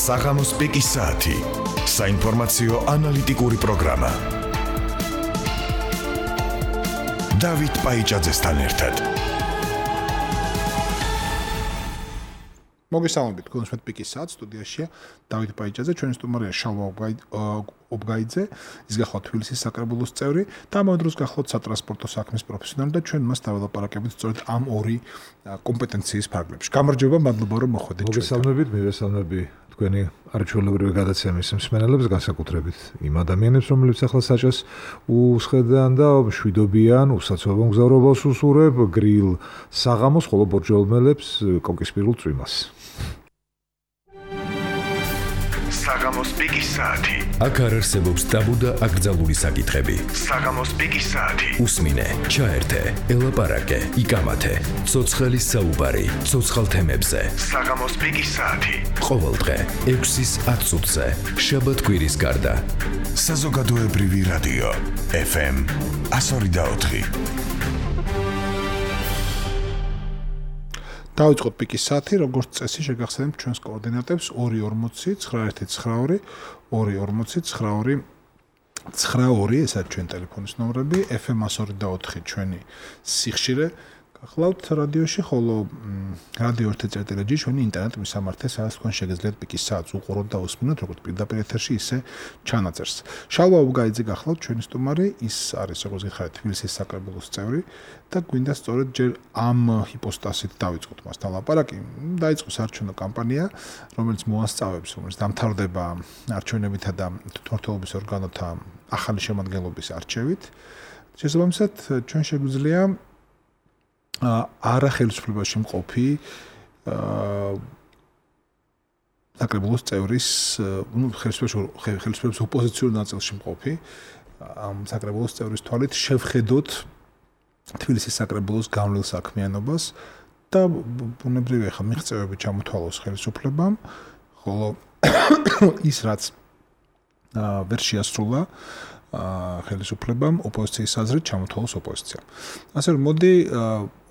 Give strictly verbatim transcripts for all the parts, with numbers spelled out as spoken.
საღამოს პიკის საათი. საინფორმაციო ანალიტიკური პროგრამა. დავით პაიჭაძესთან ერთად. მოგესალმებით, გულისხმობთ პიკის საათს, სტუდიაშია დავით პაიჭაძე, ჩვენი სტუმარია შალვა ობგაიძე, ის გახლავთ თბილისის საკრებულოს წევრი და ამავე დროს გახლავთ სატრანსპორტო საქმის პროფესიონალი და ჩვენ მას დაველაპარაკებით სწორედ ამ ორი კომპეტენციის ფარგლებში. გამარჯობა, მადლობა რომ მოხვედით. მოგესალმებით, მივესალმები თქვენი არჩეულებრივი გადაცემის მსმენელებს, განსაკუთრებით იმ ადამიანებს, რომლებიც ახლა საჭას უსხედან და მშვიდობიან, უსაცობო მგზავრობას უსურებ, გრილ საღამოს, ხოლო ბორჯომელებს კოკისპირულ წვიმას. საღამოს პიკის საათი. აქ არ არსებობს ტაბუ და აკრძალული საკითხები. საღამოს პიკის საათი. უსმინე, ჩაერთე, ელაპარაკე, იკამათე. ცოცხალი საუბარი, ცოცხალ თემებზე. საღამოს პიკის საათი. ყოველდღე ექვსის ათ წუთზე, შაბათ-კვირის გარდა. საზოგადოებრივი რადიო ეფ ემ one oh four. დავიწყოთ პიკის საათი, როგორც წესი შეგახსენებთ ჩვენს კოორდინატებს ორი ორმოცი ცხრა ერთი ცხრა ორი ორი ორმოცი ცხრა ორი ცხრა ორი, ესაა ჩვენ ტელეფონის ნომრები, ეფ ემ one oh four ჩვენი სიხშირე. გახლავთ რადიოში, ხოლო რადიო ერთი წერტილი ჩვენი ინტერნეტ მისამართი, სადაც თქვენ შეგეძლიათ პიკის საათს უყუროთ და უსმინოთ, როგორც პირდაპირ ეთერში, ისე ჩანაწერს. შალვა ობგაიძე გახლავთ ჩვენი სტუმარი, ის არის, როგორც გითხარით, თბილისის საკრებულოს წევრი და გვინდა სწორედ ჯერ ამ ჰიპოსტასით დავიწყოთ მასთან ლაპარაკი. დაიწყო საარჩევნო კამპანია, რომელიც მოასწავებს, რომელიც დამთავრდება არჩევნებითა და თვითმმართველობის ორგანოთა ახალი შემადგენლობის არჩევით. შესაბამისად, ჩვენ შეგვიძლია არა ხელისუფლებაში მყოფი საკრებულოს წევრის, ну, ხელისუფლების ოპოზიციურ ნაწილში მყოფი ამ საკრებულოს წევრის თვალით შევხედოთ თბილისის საკრებულოს გავლილ საქმიანობას და ბუნებრივია ხა მიღწევები ჩამოთვალოს ხელისუფლებამ, ხოლო ის რაც ვერ შეასრულა ხელისუფლებამ ოპოზიციის აზრით ჩამოთვალოს ოპოზიციამ. ასე რომ მოდი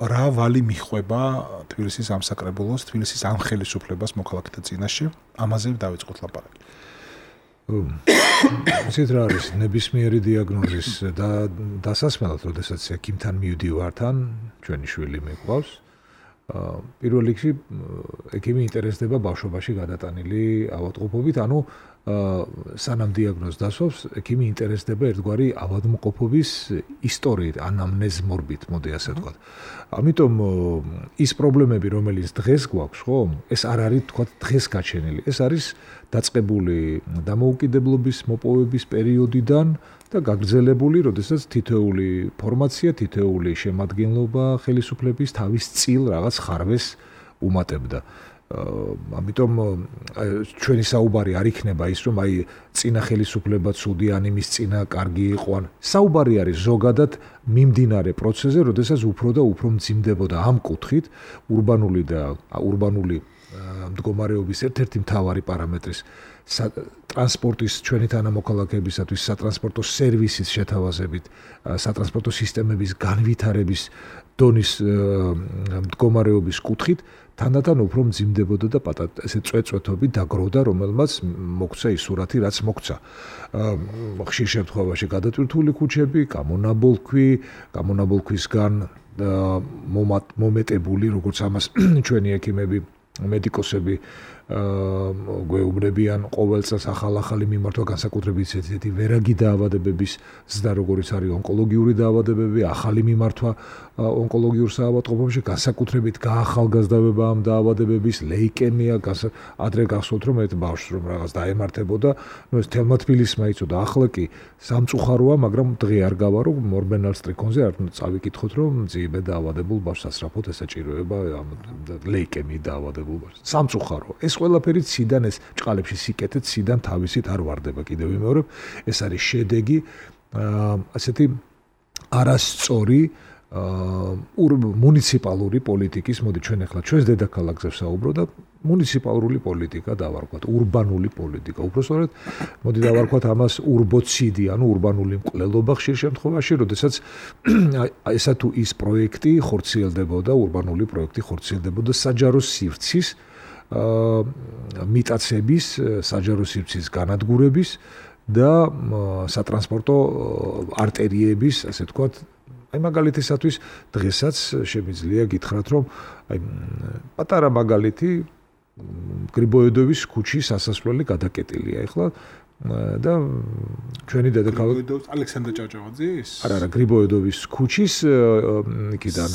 რა ვალი მიხვება თბილისის ამ საკრებულოს, თბილისის ამ ხელისუფლებას მოქალაქეთა წინაშე, ამაზე დავიწყოთ ლაპარაკი. ისეთ რა არის ნებისმიერი დიაგნოზის და დასასმელად, როდესაც ექიმთან მივდივართ ან ჩვენი შვილი მიყვავს, პირველ რიგში ექიმი ინტერესდება ბავშვობაში გადატანილი ავადმყოფობით, ანუ სანამ დიაგნოზს დასვავს, ექიმი ინტერესდება ერთგვარი ავადმყოფობის ისტორიით, ანამნეზ მორბით, მოდი ასე ვთქვათ. ამიტომ ის პრობლემები, რომელიც დღეს გვაქვს, ხო, ეს არ არის თქვათ დღეს გაჩენილი. ეს არის დაწყებული დამოუკიდებლობის მოპოვების პერიოდიდან და გაგრძელებული, როდესაც თითოეული ფორმაცია, თითოეული შემადგენლობა ხელისუფლების თავის წილ რაღაც ხარვეს უმატებდა. ამიტომ ჩვენი საუბარი არ იქნება ის, რომ აი წინა ხელისუფლება ცუდი ან იმის წინა კარგი იყო, ან საუბარი არის ზოგადად მიმდინარე პროცესზე, როდესაც უფრო და უფრო მძიმდებოდა ამ კუთხით ურბანული და ურბანული მდგომარეობის ერთ-ერთი მთავარი პარამეტრის ტრანსპორტის ჩვენი თანამოქალაქეებისათვის სატრანსპორტო სერვისის შეთავაზებით, სატრანსპორტო სისტემების განვითარების დონის მდგომარეობის კუთხით თანდათან უფრო მძიმდებოდა და ესე წვეწვეთობით დაგროვდა, რომელმაც მოგცა ის სურათი, რაც მოგცა. ხშირ შემთხვევაში გადატვირთული ქუჩები, გამონაბოლქვი, გამონაბოლქვისგან მომეტებული, როგორც ამას ჩვენი ექიმები, მედიკოსები გვეუბნებიან ყოველ წელს ახალ-ახალი მიმართვა, განსაკუთრებით ესეთი ვერაგი დაავადებების ზრდა, როგორც არის ონკოლოგიური დაავადებები, ახალი მიმართვა ონკოლოგიურ საავადმყოფოში, განსაკუთრებით გაახალგაზრდავება ამ დაავადებების, ლეიკემია, ადრე გახსოვთ რომ ერთ ბავშვს რომ რაღაც დაემართებოდა, ნუ ეს თელმა თბილისმა იწოდა, ახლა კი სამწუხაროა, მაგრამ დღე არ გავარო მორბენალ სტრიქონზე, არ წავიკითხოთ რომ მძიმე დაავადებულ ბავშვს სასწრაფოდ ესაჭიროება ლეიკემიით დაავადებულ ბავშვს. სამწუხარო. ეს ყველაფერი ციდან ეს ჭყალებში სიკეთე ციდან თავისით არ ვარდება, კიდევ ვიმეორებ, ეს არის შედეგი ასეთი არასწორი მუნიციპალური პოლიტიკის, მოდი ჩვენ ახლა ჩვენს დედაქალაქზე ვსაუბრო და მუნიციპალური პოლიტიკა დავარქვათ, ურბანული პოლიტიკა. უბრალოდ მოდი დავარქვათ ამას ურბოციდი, ანუ ურბანული მკვლელობა ხშირ შემთხვევაში, როდესაც ესა თუ ის პროექტი ხორციელდებოდა, ურბანული პროექტი ხორციელდებოდა საჯარო სივრცის მიტაცების, საჯარო სივრცის განადგურების და სატრანსპორტო არტერიების, ასე ვთქვათ, აი მაგალითისათვის დღესაც შემიძლია გითხრათ, რომ აი პატარა მაგალითი გრიბოედოვის ქუჩის ასასვლელი გადაკეტილია ახლა და ჩვენი დედაქალაქი გრიბოედოვის ალექსანდრე ჭავჭავაძის? არა, არა, გრიბოედოვის ქუჩის იქიდან.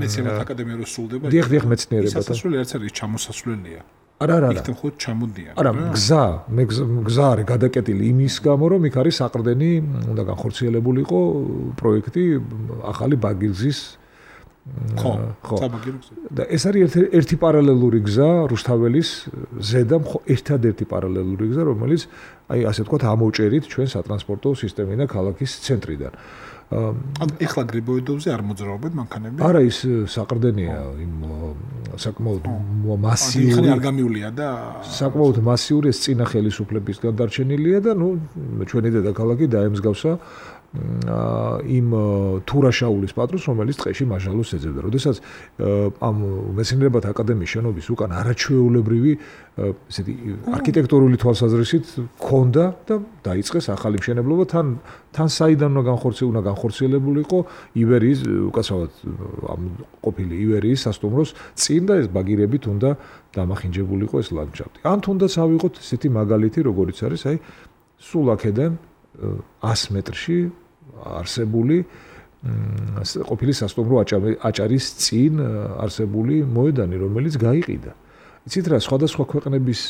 მეცნიერებათა აკადემია რო სრულდება. დიახ, დიახ, მეცნიერებათა. სასასვლელი არც არის ჩამოსასვლელია. არა, არა, არა. იქთან ხოთ ჩამოდიან. არა, გზა, მე გზა არის გადაკეტილი იმის გამო, რომ იქ არის საყრდენი, უნდა განხორციელებული იყო პროექტი ახალი ბაგირგზის ხო, საბაგირგზის. და ეს არის ერთი ერთი პარალელური გზა რუსთაველის ზედა, ერთადერთი პარალელური გზა, რომელიც აი ასე ვთქვათ, ამოვჭერით ჩვენ სატრანსპორტო სისტემიდან ქალაქის ცენტრიდან. ან ეხლა გრიბოედოვზე არ მოძრაობენ მანქანები? არა, ის საყრდენია, იმ საკმაოდ მასიური. ხანი არ გამიულია და საკმაოდ მასიური ეს წინა ხელისუფლებისგან დარჩენილია და ნუ ჩვენი დედაქალაქი დაემსგავსა იმ თურაშაულის პატრონს, რომელიც ტყეში მაჟალოს ეძებდა. როდესაც ამ მეცნიერებათა აკადემიის შენობის უკან არაჩვეულებრივი ესეთი არქიტექტურული თვალსაზრისით ქონდა და დაიწყეს ახალი მშენებლობა, თან თან საიდან უნდა განხორციელებული, უნდა განხორციელებული იყო ივერიის, უკაცრავად ამ ყოფილი ივერიის სასტუმროს წინ და ეს ბაგირებით უნდა დამახინჯებულიყო ეს ლანდშაფტი. ან თუნდაც ავიღოთ ესეთი მაგალითი, როგორიც არის, აი სულ აქედან ას მეტრში არსებული ყოფილი სასტუმრო აჭარის წინ არსებული მოედანი, რომელიც გაიყიდა. იცით რა, სხვადასხვა ქვეყნების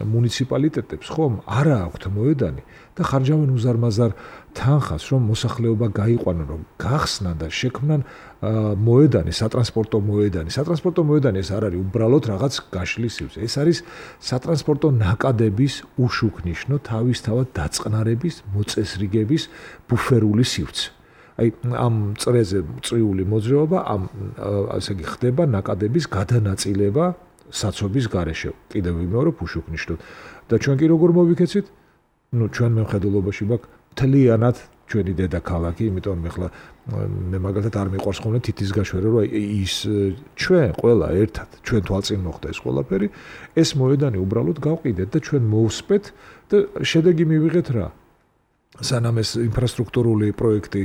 მუნიციპალიტეტებს ხომ არა აქვთ მოედანი და ხარჯავენ უზარმაზარ თანხას, რომ მოსახლეობა გაიყვანონ, რომ გახსნან და შექმნან მოედანი, სატრანსპორტო მოედანი. სატრანსპორტო მოედანი ეს არ არის უბრალოდ რაღაც გაშლის სივრცე. ეს არის სატრანსპორტო ნაკადების უშუქნიშნო თავისთავად დაწყნარების, მოწესრიგების ბუფერული სივრცე. აი ამ წრეზე წრიული მოძრაობა, ამ ასე იგი ხდება ნაკადების გადანაწილება საცობის გარეშე. კიდევ ვიმეორებ უშუქნიშნოდ. და ჩვენ კი როგორ მოვიქეცით? ნუ ჩვენ მემხედველობაში გვაქვს მთლიანად ჩვენი დედაქალაქი, იმიტომ მე ხლა მე მაგალითად არ მიყვარს ხოლმე თითის გაშვერა, რომ ის ჩვენ ყველა ერთად ჩვენ თვალწინ მოხდა ეს ყველაფერი, ეს მოედანი უბრალოდ გავყიდეთ და ჩვენ მოვსპეთ და შედეგი მივიღეთ რა. სანამ ეს ინფრასტრუქტურული პროექტი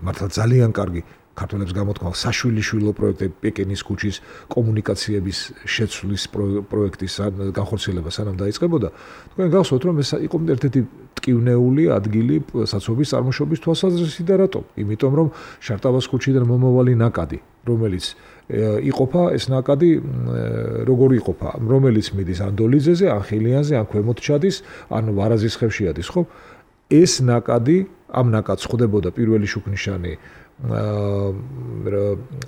მართლა ძალიან კარგი ქართველებს გამოთქვა საშვილიშვილო პროექტი პეკინის ქუჩის კომუნიკაციების შეცვლის პროექტის განხორციელება სანამ დაიწყებოდა, თქვენ გახსოვთ რომ ეს იყო ერთ-ერთი ტკივნეული ადგილი საცობის წარმოშობის თვალსაზრისით და რატომ? იმიტომ რომ შარტავას ქუჩიდან მომავალი ნაკადი, რომელიც იყოფა ეს ნაკადი როგორ იყოფა, რომელიც მიდის ან დოლიძეზე, ან ხილიანზე, ან ქვემოთ ჩადის, ან ვარაზის ხევში ადის, ხო? ეს ნაკადი, ამ ნაკადს ხვდებოდა პირველი შუქნიშანი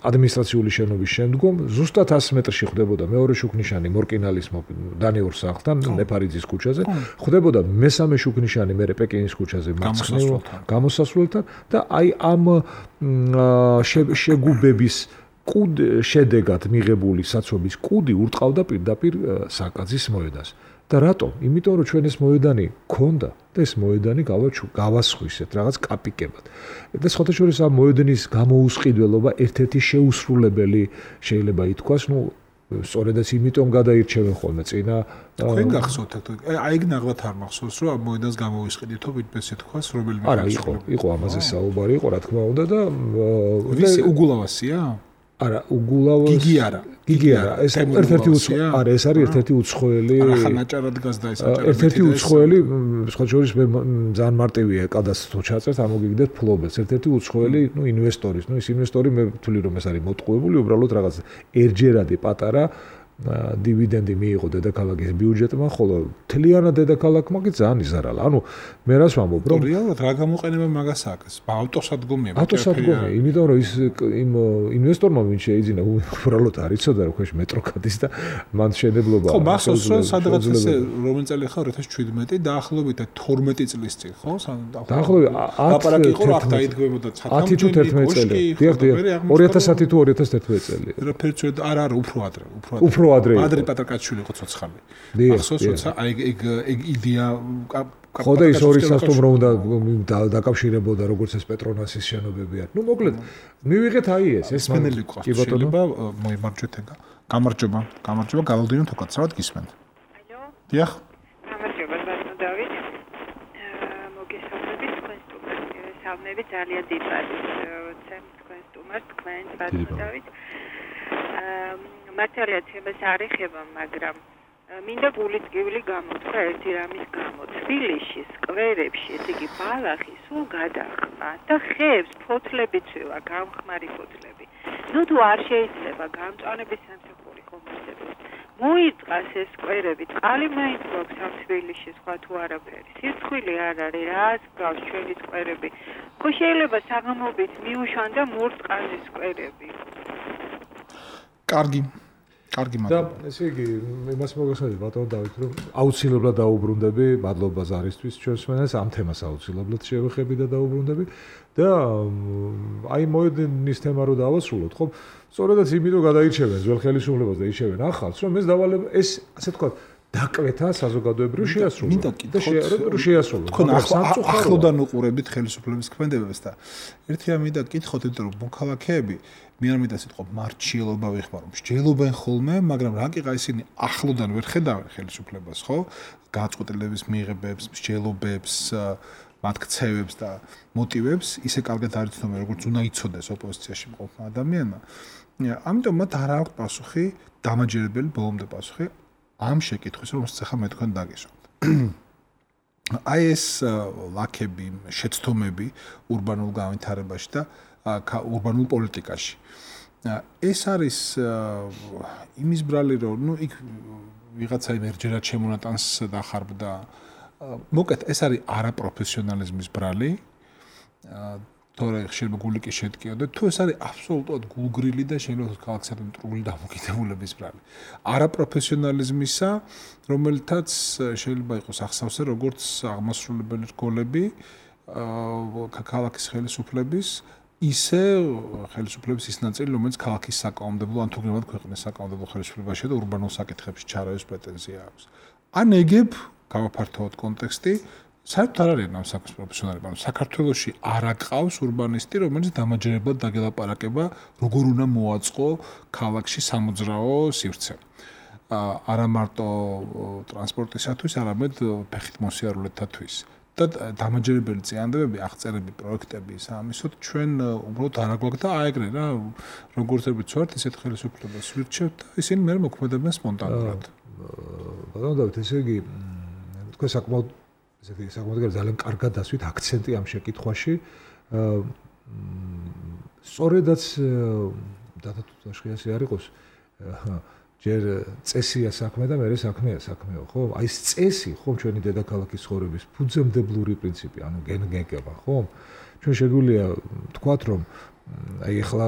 ადმინისტრაციული შენობის შემდგომ, ზუსტად ას მეტრში ხვდებოდა მეორე შუქნიშანი მორკინალის დანიურ სახლთან, ნეფარიძის ქუჩაზე, ხვდებოდა მესამე შუქნიშანი მერე პეკინის ქუჩაზე მარცხნივ გამოსასვლელთან და აი ამ შეგუბების კუდ შედეგად მიღებული საცობის კუდი ურტყავდა პირდაპირ საკაძის მოედანს. და რატომ? იმიტომ რომ ჩვენ ეს მოედანი გქონდა და ეს მოედანი გავასხვისეთ რაღაც კაპიკებად. და სხვათა შორის ამ მოედნის გამოუსყიდველობა ერთ-ერთი შეუსრულებელი შეიძლება ითქვას, ნუ სწორედაც იმიტომ გადაირჩევენ ხოლმე წინა თქვენ გახსოვთ აი ეგ ნაღლად არ მახსოვს რომ ამ მოედანს გამოვისყიდითო ვიდպես ეთქვას რომელიმე არა იყო იყო ამაზე საუბარი იყო რა თქმა უნდა და ვისი უგულავასია? არა, უგულავას გიგი არა. გიგი არა, ეს ერთ-ერთი უცხოელი, არა, ეს არის ერთ-ერთი უცხოელი. არა, ხანაჭარად გაზდა ეს აჭარა. ერთ-ერთი უცხოელი, სხვა შორის მე ძალიან მარტივია კადასტრო ჩაწერს, ამოგიგდეთ ფლობელს. ერთ-ერთი უცხოელი, ნუ ინვესტორის, ნუ ის ინვესტორი მე ვთვლი რომ ეს არის მოტყუებული, უბრალოდ რაღაც ერჯერადი პატარა დივიდენდი მიიღო დედაქალაქის ბიუჯეტმა, ხოლო თლიანად დედაქალაქმა კი ძალიან იზარალა. ანუ მე რას ვამბობ, რომ რეალურად რა გამოყენება მაგას აქვს? ავტოსადგომია, ავტოსადგომია, იმიტომ რომ ის იმ ინვესტორმა ვინ შეიძინა, უბრალოდ არ იცოდა რომ ქვეშ მეტრო გადის და მან შენებლობა. ხო, მახსოვს რომ სადღაც ესე რომელი წელი ხარ ორი ათას შვიდმეტი დაახლოებით თორმეტი წლის წინ, ხო? დაახლოებით აპარატი იყო რა დაიდგებოდა ათი თუ თერთმეტი წელი. დიახ, დიახ. ორი ათასი თუ ორი ათას თერთმეტი წელი. რა ფერცვე არა, არა, უფრო ადრე, უფრო ადრე ადრე პატრაკაჩვილი იყო ცოცხალი. ახსოვს როცა აი ეგ ეგ იდეა ხო და ის ორი სასტუმრო უნდა დაკავშირებოდა როგორც ეს პეტრონასის შენობები არის. ნუ მოკლედ მივიღეთ აი ეს ეს მენელი ყავს. შეიძლება მოიმარჯვეთ ეგა. გამარჯობა, გამარჯობა, გალავდინოთ უკაცრავად გისმენთ. ალო. დიახ. გამარჯობა, ბატონო დავით. მოგესალმებით თქვენ სტუმარს. სამნები ძალიან დიდად ცემ თქვენ სტუმარს, თქვენ ბატონო დავით. მართალია თემას არ ეხება, მაგრამ მინდა გულისკივილი გამოთქვა ერთი რამის გამო. თბილისში, სკვერებში, ესე იგი ბალახი სულ გადახმა და ხეებს ფოთლები წვივა, გამხმარი ფოთლები. ნუ თუ არ შეიძლება გამწვანების სამსახური კომისიებს მოიწყას ეს სკვერები, წყალი მაინც გვაქვს ამ თბილისში, სხვა თუ არაფერი. სირცხვილი არ არის, რას გავს ჩვენი სკვერები. ხო შეიძლება საღამობით მიუშვან და მურწყალეს სკვერები. კარგი. კარგი და ესე იგი იმას მოგესალმებით ბატონო დავით რომ აუცილებლად დაუბრუნდები მადლობა ზარისთვის ჩვენს მენას ამ თემას აუცილებლად შევეხები და დაუბრუნდები და აი მოედინის თემა რო დავასრულოთ ხო სწორედაც იმიტომ გადაირჩევენ ძველ ხელისუფლებას და იშევენ ახალს რომ ეს დავალება ეს ასე თქვა დაკვეთა საზოგადოებრივ შეასრულო მინდა კითხოთ შეასრულო თქვენ ახლოდან უყურებით ხელისუფლების ქმედებებს და ერთი რამ მინდა კითხოთ იმიტომ რომ მოქალაქეები მე არ მინდა სიტყვა მარჩიელობა ვიხმარო მსჯელობენ ხოლმე მაგრამ რა კი ისინი ახლოდან ვერ ხედავენ ხელისუფლებას ხო გაწყვეტილების მიღებებს მსჯელობებს მათ ქცევებს და მოტივებს ისე კარგად არ იცნობენ როგორც უნდა იცოდეს ოპოზიციაში მყოფმა ადამიანმა ამიტომ მათ არ აქვს პასუხი დამაჯერებელი ბოლომდე პასუხი ამ შეკითხვის რომელსაც ახლა მე თქვენ დაგისვამთ აი ეს ლაქები შეცდომები ურბანულ განვითარებაში და ურბანულ პოლიტიკაში. ეს არის იმის ბრალი რომ ნუ იქ ვიღაცა იმერჯერად შემონატანს დახარბდა. მოკეთ ეს არის არაპროფესიონალიზმის ბრალი. თორე შეიძლება გული კი შეტკიოდე თუ ეს არის აბსოლუტურად გულგრილი და შეიძლება ქალაქსადმი მტრული დამოკიდებულების ბრალი. არაპროფესიონალიზმისა, რომელთაც შეიძლება იყოს ახსავსე როგორც აღმასრულებელი რგოლები ქალაქის ხელისუფლების ისე ხელისუფლების ის ნაწილი, რომელიც ქალაქის საკანონმდებლო ან თუნდაც ქვეყნის საკანონმდებლო ხელისუფლებაში და ურბანულ საკითხებში ჩარევის პრეტენზია აქვს. ან ეგებ გავაფართოვოთ კონტექსტი, საერთოდ არ არის ამ საქმის პროფესიონალები, ანუ საქართველოში არ აყავს ურბანისტი, რომელიც დამაჯერებლად დაგელაპარაკება, როგორ უნდა მოაწყო ქალაქში სამოძრაო სივრცე. არა მარტო ტრანსპორტისათვის, არამედ ფეხით მოსიარულეთათვის. და დამაჯერებელი წინადადებები, აღწერები, პროექტები სამისოთ ჩვენ უბრალოდ არ აგვაქვს და აეგრე რა როგორც ვიწვართ ისეთ ხელისუფლებას ვირჩევთ და ისინი მე მოქმედებენ სპონტანურად. ბატონო დავით, ესე იგი თქვენ საკმაოდ ესეთი საკმაოდ ძალიან კარგად დასვით აქცენტი ამ შეკითხვაში. სწორედაც დათათუშხიასი არ იყოს ჯერ წესია საქმე და მერე საქმეა საქმეო, ხო? აი ეს წესი, ხო, ჩვენი დედაქალაქის ცხოვრების ფუძემდებლური პრინციპი, ანუ გენგება, ხო? ჩვენ შეგვიძლია თქვათ, რომ აი ახლა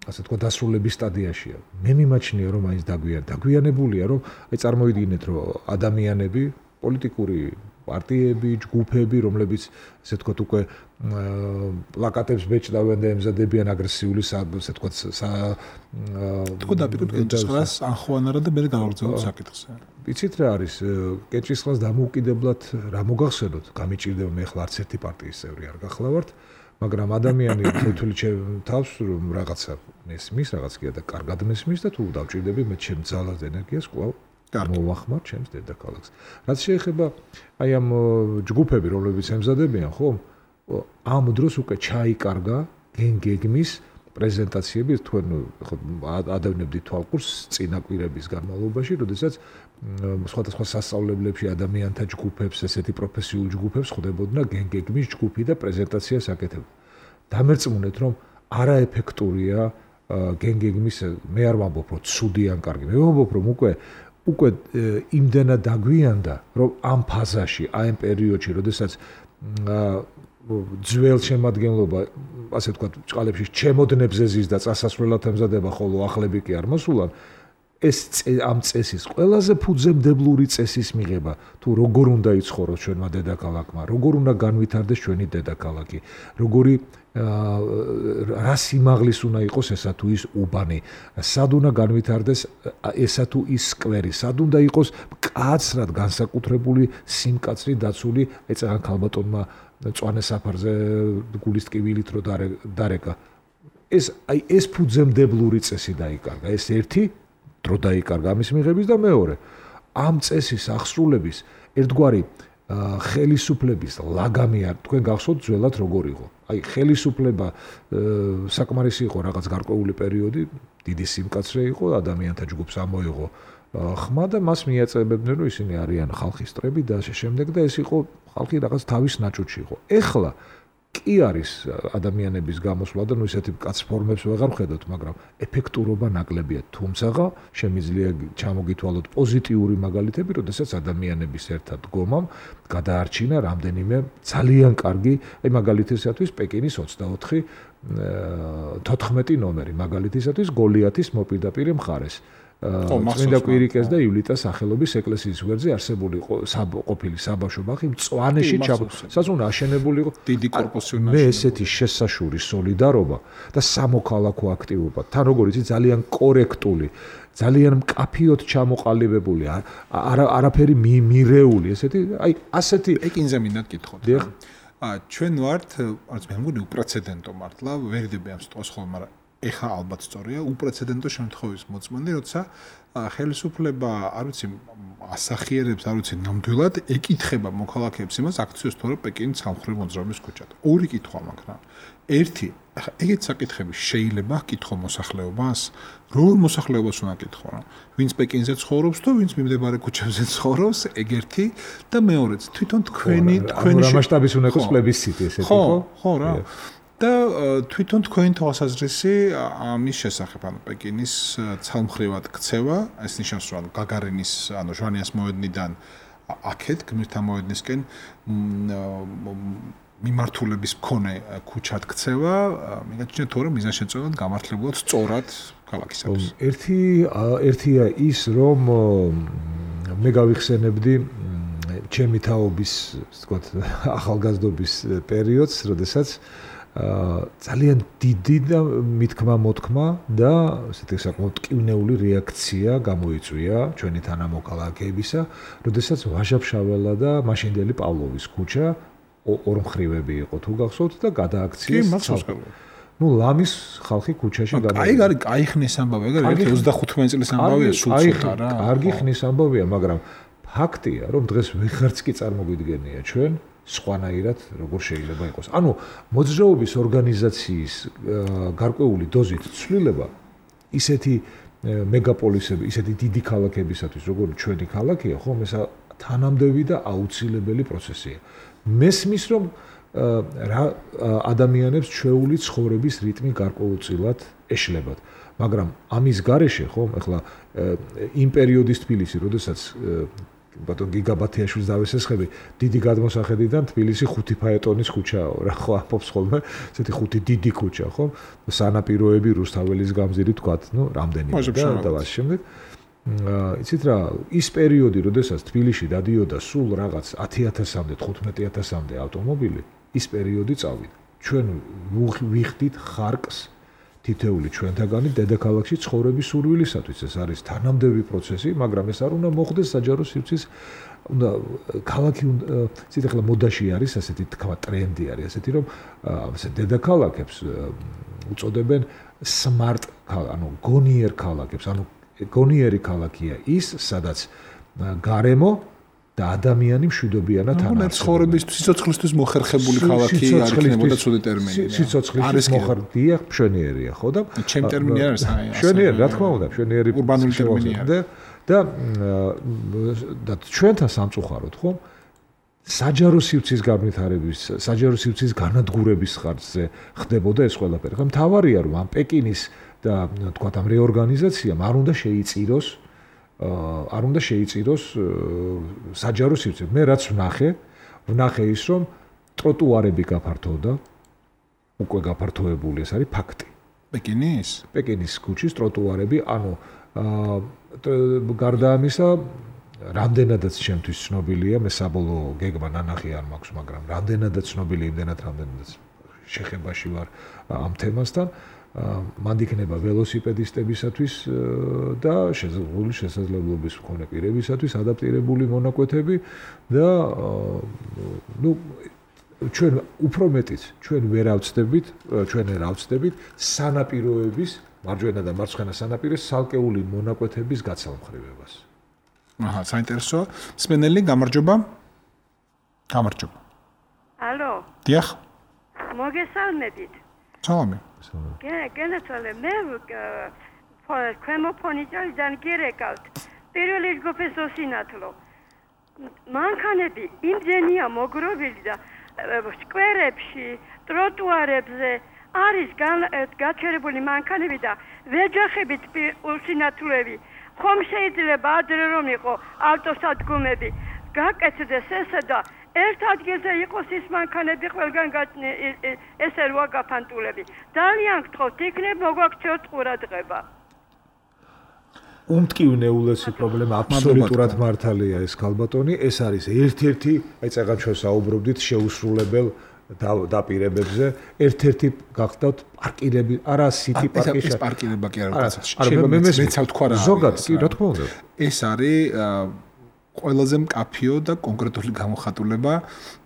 ასე თქვა დასრულების სტადიაშია. მე მიმაჩნია, რომ აი ეს დაგვიან, დაგვიანებულია, რომ აი წარმოიდგინეთ, რომ ადამიანები, პოლიტიკური პარტიები, ჯგუფები, რომლებიც ასე თქვა უკვე პლაკატებს ბეჭდავენ და ემზადებიან აგრესიული ასე თქვა თქო დაპირებ კენჭისყრას ანხვანარა და მე გავაგრძელებ საკითხზე. იცით რა არის კენჭისყრას დამოუკიდებლად რა მოგახსენოთ? გამიჭირდება მე ახლა არც ერთი პარტიის წევრი არ გახლავართ, მაგრამ ადამიანი თითოეული თავს რომ რაღაცა მესმის, რაღაც კი და კარგად მესმის და თუ დავჭირდები მე ჩემ ძალას და ენერგიას კვლავ მოვახმარ ჩემს დედაქალაქს. რაც შეეხება აი ამ ჯგუფები, რომლებიც ემზადებიან, ხო? ამ დროს უკვე ჩაიკარგა გენგეგმის პრეზენტაციები, თქვენ ადევნებდით თვალყურს წინაკვირების განმავლობაში, როდესაც სხვადასხვა სასწავლებლებში ადამიანთა ჯგუფებს, ესეთი პროფესიულ ჯგუფებს ხვდებოდნა გენგეგმის ჯგუფი და პრეზენტაციას აკეთებდა. დამერწმუნეთ, რომ არაეფექტურია გენგეგმის, მე არ ვამბობ, რომ ცუდი ან კარგი, მე ვამბობ, რომ უკვე უკვე იმდენად დაგვიანდა, რომ ამ ფაზაში, აი ამ პერიოდში, როდესაც ძველ შემადგენლობა, ასე ვთქვათ, ჭყალებში ჩემოდნებზე ზის და წასასვლელად ემზადება, ხოლო ახლები კი არ მოსულან, ეს ამ წესის ყველაზე ფუძემდებლური წესის მიღება, თუ როგორ უნდა იცხოვროს ჩვენმა დედაქალაქმა, როგორ უნდა განვითარდეს ჩვენი დედაქალაქი, როგორი რა სიმაღლის უნდა იყოს ესა თუ ის უბანი, სად უნდა განვითარდეს ესა თუ ის სკვერი, სად უნდა იყოს მკაცრად განსაკუთრებული სიმკაცრი დაცული, ეცაღან ქალბატონმა წვანე საფარზე გულის ტკივილით რო დარეკა. ეს აი ეს ფუძემდებლური წესი დაიკარგა. ეს ერთი დრო დაიკარგა ამის მიღების და მეორე ამ წესის აღსრულების ერთგვარი ხელისუფლების ლაგამი არ თქვენ გახსოვთ ძველად როგორ იყო აი ხელისუფლება საკმარისი იყო რაღაც გარკვეული პერიოდი დიდი სიმკაცრე იყო ადამიანთა ჯგუფს ამოიღო ხმა და მას მიაწებებდნენ რომ ისინი არიან ხალხის წრები და შემდეგ და ეს იყო ხალხი რაღაც თავის ნაჭუჭი იყო ეხლა კი არის ადამიანების გამოსვლა და ნუ ისეთი კაც ფორმებს ვეღარ ვხედავთ მაგრამ ეფექტურობა ნაკლებია თუმცა შემიძლია ჩამოგითვალოთ პოზიტიური მაგალითები როდესაც ადამიანების ერთად დგომამ გადაარჩინა რამდენიმე ძალიან კარგი აი მაგალითისათვის პეკინის ოცდაოთხი თოთხმეტი ნომერი მაგალითისათვის გოლიათის მოპირდაპირე მხარეს წმინდა კვირიკეს და ივლიტას სახელობის ეკლესიის გვერდზე არსებული ყოფილი საბავშვო ბაღი მწვანეში საზღვნა აშენებული იყო დიდი კორპუსი მე ესეთი შესაშური სოლიდარობა და სამოქალაქო აქტივობა თან როგორ იცი ძალიან კორექტული ძალიან მკაფიოდ ჩამოყალიბებული არაფერი მირეული ესეთი აი ასეთი ეკინზე მინდა გითხოთ ჩვენ ვართ არც მე მგონი უპრეცედენტო მართლა ვერ ვიდები ამ სიტყვას ხოლმე მაგრამ ეხა ალბათ სწორია უპრეცედენტო შემთხვევის მოწმენდი როცა ხელისუფლება არ ვიცი ასახიერებს არ ვიცი ნამდვილად ეკითხება მოქალაქეებს იმას აქციოს თორე პეკინის სამხრეთ მოძრაობის ქუჩად ორი კითხვა მაგრამ ერთი ეგეთ საკითხები შეიძლება კითხო მოსახლეობას როგორ მოსახლეობას უნდა კითხო რა ვინც პეკინზე ცხოვრობს თუ ვინც მიმდებარე ქუჩებზე ცხოვრობს ეგ ერთი და მეორეც თვითონ თქვენი თქვენი მასშტაბის უნდა იყოს პლებისციტი ესეთი ხო ხო რა და თვითონ თქვენი თვალსაზრისი ამის შესახებ ანუ პეკინის ცალმხრივად ქცევა ეს ნიშნავს რომ გაგარინის ანუ ჟვანიას მოედნიდან აქეთ გმირთა მოედნისკენ მიმართულების მქონე ქუჩად ქცევა მიგაჩნია თორე მიზანშეწონად გამართლებულად სწორად ქალაქისათვის ერთი ერთია ის რომ მე გავიხსენებდი ჩემი თაობის ვთქვათ ახალგაზრდობის პერიოდს როდესაც ძალიან დიდი და მithkma მოთქმა და ესეთი საკმაოდ ტკივნეული რეაქცია გამოიწვია ჩვენი თანამოქალაქეებისა, როდესაც ვაჟა-ფშაველა და მაშინდელი პავლოვის ქუჩა ორმხრივები იყო თუ გახსოვთ და გადააქციეს. კი, მახსოვს. ნუ ლამის ხალხი ქუჩაში გამოვიდა. აი, არის, აი ხნის ამბავი, ეგ ოცდახუთმეტი წლის ამბავია, სულ ცოტა რა. კარგი ხნის ამბავია, მაგრამ ფაქტია, რომ დღეს ვიღარც კი წარმოგვიდგენია ჩვენ სხვანაირად როგორ შეიძლება იყოს. ანუ მოძრაობის ორგანიზაციის გარკვეული დოზით ცვლილება ისეთი მეგაპოლისები, ისეთი დიდი ქალაქებისათვის, როგორც ჩვენი ქალაქია, ხომ ეს თანამდები და აუცილებელი პროცესია. მესმის რომ რა ადამიანებს ჩვეული ცხოვრების რიტმი გარკვეულწილად ეშლებათ. მაგრამ ამის გარეშე, ხომ, ახლა იმ პერიოდის თბილისი, როდესაც ბატონ გიგაბათიაშვილს დავესესხები, დიდი გადმოსახედიდან თბილისი ხუთი ფაეტონის ქუჩაო, რა ხო ამბობს ხოლმე, ესეთი ხუთი დიდი ქუჩა, ხო? სანაპიროები, რუსთაველის გამზირი თქვათ, ნუ რამდენი და და შემდეგ. იცით რა, ის პერიოდი, როდესაც თბილისში დადიოდა სულ რაღაც ათი ათასამდე, თხუთმეტი ათასამდე ავტომობილი, ის პერიოდი წავიდა. ჩვენ ვიხდით ხარკს თითეული ჩვენთაგანი დედაქალაქში ცხოვრების სურვილისათვის. ეს არის თანამდები პროცესი, მაგრამ ეს არ უნდა მოხდეს საჯარო სივრცის უნდა ქალაქი ცით ახლა მოდაში არის ასეთი თქვა ტრენდი არის ასეთი რომ ასე დედაქალაქებს უწოდებენ smart ანუ გონიერ ქალაქებს, ანუ გონიერი ქალაქია ის, სადაც გარემო და ადამიანი მშვიდობიანად არის. ცხოვრების სიცოცხლისთვის მოხერხებული ქალაქი არ იქნებოდა ცუდი ტერმინი. სიცოცხლის მოხერხდია, მშვენიერია, ხო და ჩემი ტერმინი არის აი ასე. მშვენიერი, რა თქმა უნდა, მშვენიერი ურბანული ტერმინია. და და და ჩვენთან სამწუხაროდ, ხო? საჯარო სივრცის განვითარების, საჯარო სივრცის განადგურების ხარჯზე ხდებოდა ეს ყველაფერი. ხომ თავარია რომ ამ პეკინის და თქვათ ამ რეორგანიზაციამ არ უნდა შეიწიროს არ უნდა შეიწიროს საჯარო სივრცე. მე რაც ვნახე, ვნახე ის რომ ტროტუარები გაფართოვდა, უკვე გაფართოებული, ეს არის ფაქტი. პეკინის? პეკინის ქუჩის ტროტუარები, ანუ გარდა ამისა, რამდენადაც ჩემთვის ცნობილია, მე საბოლოო გეგმა ნანახი არ მაქვს, მაგრამ რამდენადაც ცნობილი, იმდენად რამდენადაც შეხებაში ვარ ამ თემასთან. მანდ იქნება ველოსიპედისტებისათვის და შესაძლებელი შესაძლებლობის მქონე პირებისათვის ადაპტირებული მონაკვეთები და ნუ ჩვენ უფრო მეტიც ჩვენ ვერ ავწდებით, ჩვენ ვერ ავწდებით სანაპიროების მარჯვენა და მარცხენა სანაპიროს ცალკეული მონაკვეთების გაცალმხრევებას. აჰა, საინტერესოა. სპენელი, გამარჯობა. გამარჯობა. ალო. დიახ. მოგესალმებით. სალამი. გენაცვალე მე ქვემოფონიჭალიდან გირეკავთ. პირველი ჯგუფის ოსინათლო. მანქანები იმდენია მოგროვილი და სკვერებში, ტროტუარებზე არის გაჩერებული მანქანები და ვეჯახებით უსინათლოები. ხომ შეიძლება ადრე რომ იყო ავტოსადგომები, გაკეთდეს ესე და ერთ ადგილზე იყოს ის მანქანები ყველგან ესე რვა გაფანტულები. ძალიან გთხოვთ, იქნებ მოგვაქციოთ ყურადღება. უმტკივნე ულესი პრობლემა აბსოლუტურად მართალია ეს ქალბატონი, ეს არის ერთ-ერთი, აი წეგან ჩვენ საუბრობდით შეუსრულებელ დაპირებებზე, ერთ-ერთი გახდათ პარკირები, არა სიტი პარკი. ეს პარკირება კი არა, შეიძლება მეც ვთქვა რა. ზოგადად კი, რა თქმა უნდა. ეს არის ყველაზე მკაფიო და კონკრეტული გამოხატულება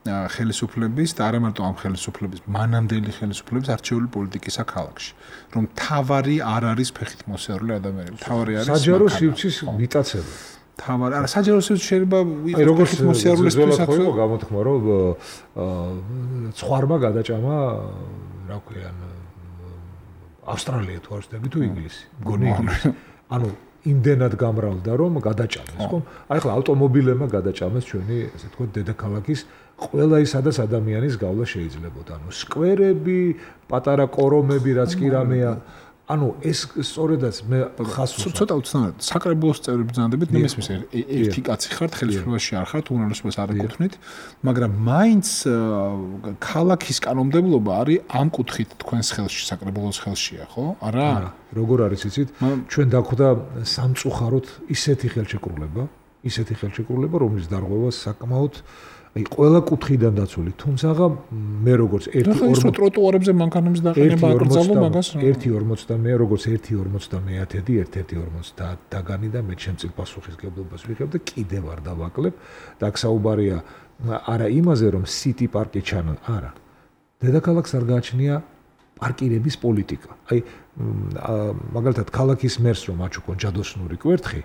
ხელისუფლების და არა მარტო ამ ხელისუფლების, მანამდელი ხელისუფლების არჩეული პოლიტიკისა ქალაქში, რომ თავარი არ არის ფეხით მოსიარულე ადამიანები, თავარი არის საჯარო სივრცის მიტაცება. თავარი, არა, საჯარო სივრცე შეიძლება ვიღოს ფეხით მოსიარულესთვის ხო გამოთქმა, რომ ცხვარმა გადაჭამა, რა ქვია, ავსტრალია თუ არ ვცდები თუ ინგლისი, მგონი ინგლისი. ანუ იმდენად გამრავლდა რომ გადაჭამეს, ხო? აი ხლა ავტომობილებმა გადაჭამეს ჩვენი, ასე თქვა, დედაქალაქის ყველა ის სადაც ადამიანის გავლა შეიძლებოდა. ანუ სკვერები, პატარა კორომები, რაც კი რამეა. ანუ ეს სწორედაც მე ხას ცოტა უცნაურად საკრებულოს წევრი ბრძანდებით, მე მესმის ერთი კაცი ხართ, ხელისუფლებაში არ ხართ, უნარლესობას არ ეკუთვნით, მაგრამ მაინც ქალაქის კანონმდებლობა არის ამ კუთხით თქვენს ხელში, საკრებულოს ხელშია, ხო? არა? როგორ არის იცით? ჩვენ დაგვხვდა სამწუხაროდ ისეთი ხელშეკრულება, ისეთი ხელშეკრულება, რომლის დარღვევა საკმაოდ აი ყველა კუთხიდან დაცული, თუმცა მე როგორც ერთი ორმოცდამე ტროტუარებზე მანქანების დაყენება აკრძალო მაგას ერთი ორმოცდამე როგორც ერთი ორმოცდამეათედი ერთ-ერთი ორმოცდაათი დაგანი და მე ჩემწილ პასუხისგებლობას ვიღებ და კიდევ არ დავაკლებ და აქ საუბარია არა იმაზე რომ სიტი პარკი ჩანა, არა. დედაქალაქს არ გააჩნია პარკირების პოლიტიკა. აი მაგალითად ქალაქის მერს რომ აჩუქონ ჯადოსნური კვერთხი